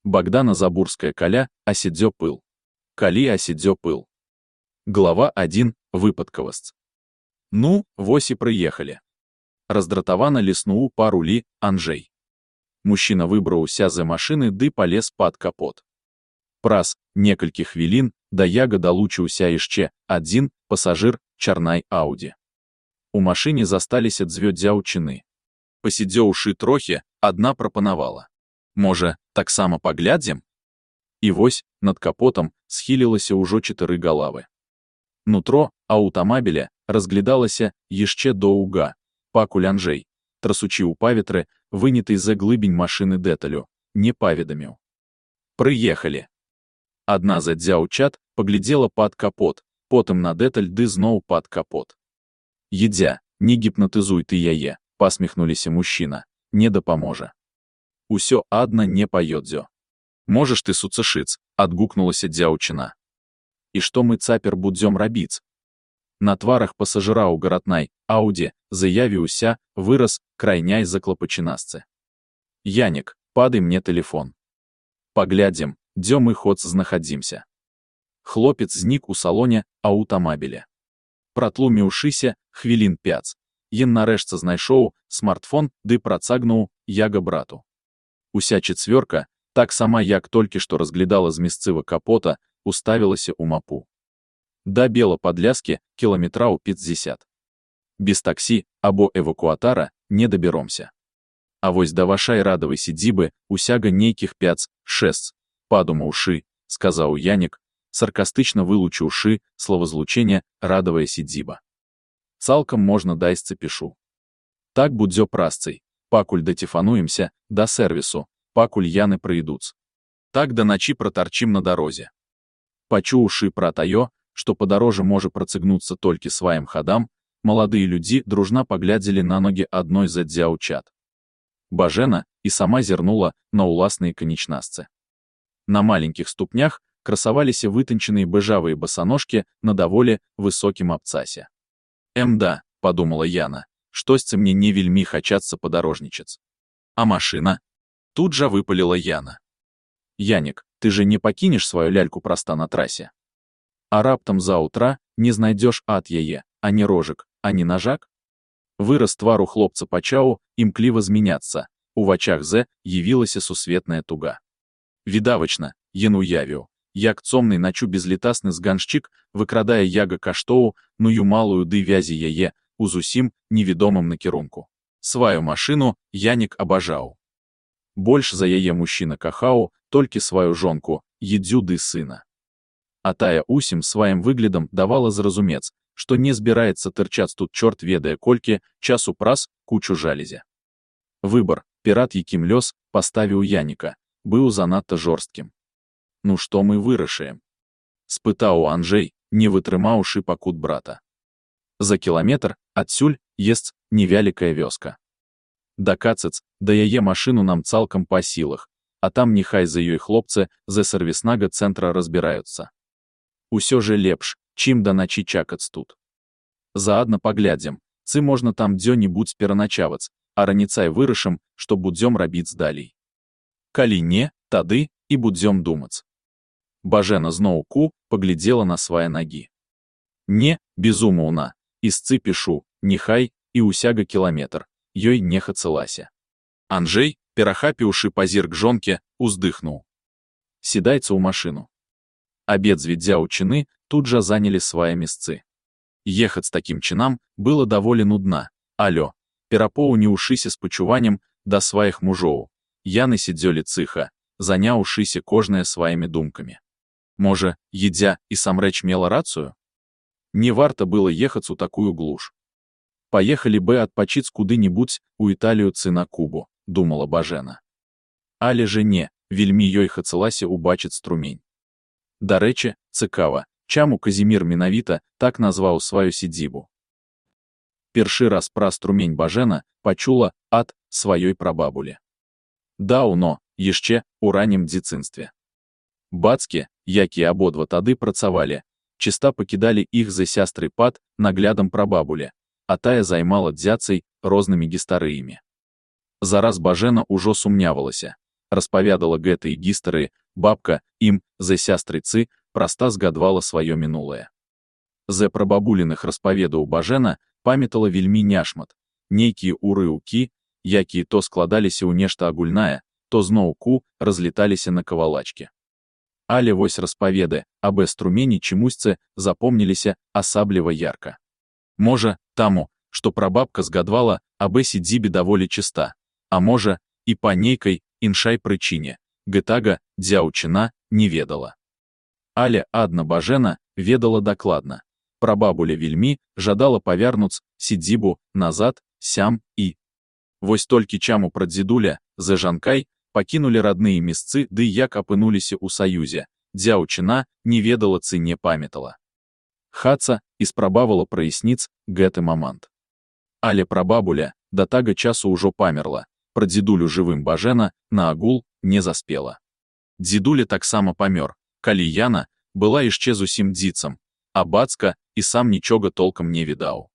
Богдана Забурская каля, асідзё пыл. Калі асідзё пыл. Глава 1. Выпадковасць. Ну, вось і прыехалі. Раздратавана ліснуў па рулі Анджэй. Мужчына выбраўся з машыны ды палез пад капот. Праз некалькі хвілін да яга далучыўся яшчэ адзін пасажыр чарнай Ауді. У машыне засталіся дзве дзяўчыны. Пасідзеўшы трохі, адна прапанавала: «Можа, таксама паглядзім?» І вось над капотам схілілася ўжо 4 галавы. Нутро аўтамабіля разглядалася яшчэ доўга, пакуль Анджэй, трасучы ў паветры, выняты з-за глыбень машыны дэталю, не паведаміў. Прыехалі. Адна з дзяўчат паглядзела пад капот, потым на дэталь ды зноў пад капот. «Едзя, не гіпнатызуй ты яе», — пасміхнуліся мужчына, — «не дапаможа. Усё адна не паёдзё». «Можаш ты суцэшыць», — адгукнулася дзяўчына. «І што мы цяпер будзём рабіць?» На тварах пасажыраў гаратнай Ауді заявіўся выраз крайняй заклапачанасцы. «Янік, падай мне тэлефон. Паглядзім, дзе мы хоць знахадзімся». Хлопец знік у салоне аўтамабіля. Пратлуміўшыся хвілін 5, ён нарэшце знайшоў смартфон ды працагнуў яга брату. Уся чацвёрка, так сама як толькі што разглядала з месцыва капота, уставілася ў мапу. Да Бела-Падляскі кіламетраў 50. Без таксі або эвакуатара не дабяромся. А вось да вашай радавай сядзібы усяга нейкіх 5-6, падумаўшы, сказаў Янік, саркастычна вылучыўшы словазлучэнне «радавая сядзіба». «Цалкам можна дайсцы пішу. Так будзе прасцай, пакуль даціфануемся да сэрвісу, пакуль яны прыйдуць. Так да начі пратарчым на дарозе». Пачуўшы пра таё, што падарожжа можа працягнуцца толькі сваім хадам, маладыя людзі дружна паглядзелі на ногі адной з дзяўчат. Бажэна і сама зірнула на ўласныя канечнасцы. На маленькіх ступнях красаваліся вытанчаныя бэжавыя басаножкі на даволі высокім абцасе. «Да», — падумала Яна, — «штосьці мне не вельмі хачацца падарожнічаць». «А машына?» — тут жа выпаліла Яна. «Янік, ты же не пакінеш сваю ляльку праста на трасе? А раптам заўтра не знайдзеш ад яе ані рожак, ані нажак?» Выраз твару хлопца пачаў імкліва змяняцца, у вачах З явілася сусветная туга. Відавачна, ён уявіў, як цомны начу безлітасны зганшчык выкрадае яга каштоў, ную малую ды вязі яе у зусім невідомым накірунку. Сваю машыну Янік абажаў. Больш за яе мужчына кахаў толькі сваю жонку, Едзю ды сына. А тая усім сваім выглядам давала зразумець, што не збіраецца тырчаць тут чорт ведае колькі часу праз кучу жалезя. Выбар, перад якім лёс паставіў Яніка, быў занадта жорсткім. «Ну што мы вырашаем?» — спытаў Анджэй, не вытрымаўшы пакут брата. За кіламетр адсюль есць невялікая вёска. Дакацаць да яе машыну нам цалкам па сілах, а там няхай за ёй хлопцы з сэрвіснага цэнтра разбіраюцца. Усё же лепш, чым да начі чакаць тут. Заадна паглядзім, цы можна там дзе-небудзь пераначаваць, а раніцай вырашым, што будзём рабіць далей. Калі не, тады і будзём думаць». Бажэна зноўку паглядзела на свае нагі. «Не, безумоўна, ісцы пішу, няхай і ўсяга кіламетр», ёй не хацелася. Анджэй, перахапіўшы пазірк жонкі, уздыхнуў. «Сідайце ў машыну». Абедзве дзяўчыны тут жа занялі свае месцы. Ехаць такім чынам было даволі нудна, алё, перапоўніўшыся спачуваннем да сваіх мужоў, яны сядзелі ціха, заняўшыся кожнае сваімі думкамі. Можа, Едзя і самрэч мела рацыю? Не варта было ехаць у такую глуш. Паехалі бы адпачыць куды-небудзь у Італію цы на Кубу, думала Бажэна. Але же не, вельмі ёй хацелася ўбачыць струмень. Дарэчы, цікава, чаму Казімір менавіта так назваў сваю сядзібу. Першы раз пра струмень Бажэна пачула ад сваёй прабабулі. Даўно, яшчэ ў раннім дзяцінстве. Бацькі, якія абодва тады працавалі, чыста пакідалі іх за сястры пад наглядам прабабулі, а тая займала дзяцай рознымі гістарыямі. Зараз Бажэна ўжо сумнявалася, распавядала гэта і гістары, бабка ім за сястрыцы праста згадвала сваё мінулае. З прабабуліных распаведаў Бажэна памятала вельмі няшмат, нейкія урыўкі, якія то складаліся ў нешта агульнае, то зноўку разлеталіся на кавалачкі. Але вось распаведы аб струмені чамусьці запомніліся асабліва ярка. Можа, таму, што прабабка згадвала аб сядзібе даволі чыста, а можа, і па нейкай іншай прычыне, гэтага дзяўчына не ведала. Але адна Бажэна ведала дакладна. Прабабуля вельмі жадала павярнуць сядзібу назад, сям і. Вось толькі чаму прадзедуля з жанкай пакінулі радныя месцы ды як апынуліся ў саюзе, дзяўчына не ведала цы не памятала. Хаца і спрабавала праясніць гэты момант. Але прабабуля да тага часу ўжо памерла, прадзедулю жывым Бажэна на агул не заспела. Дзедуля таксама памёр, калі яна была яшчэ зусім дзіцам, а бацька і сам нічога толкам не відаў.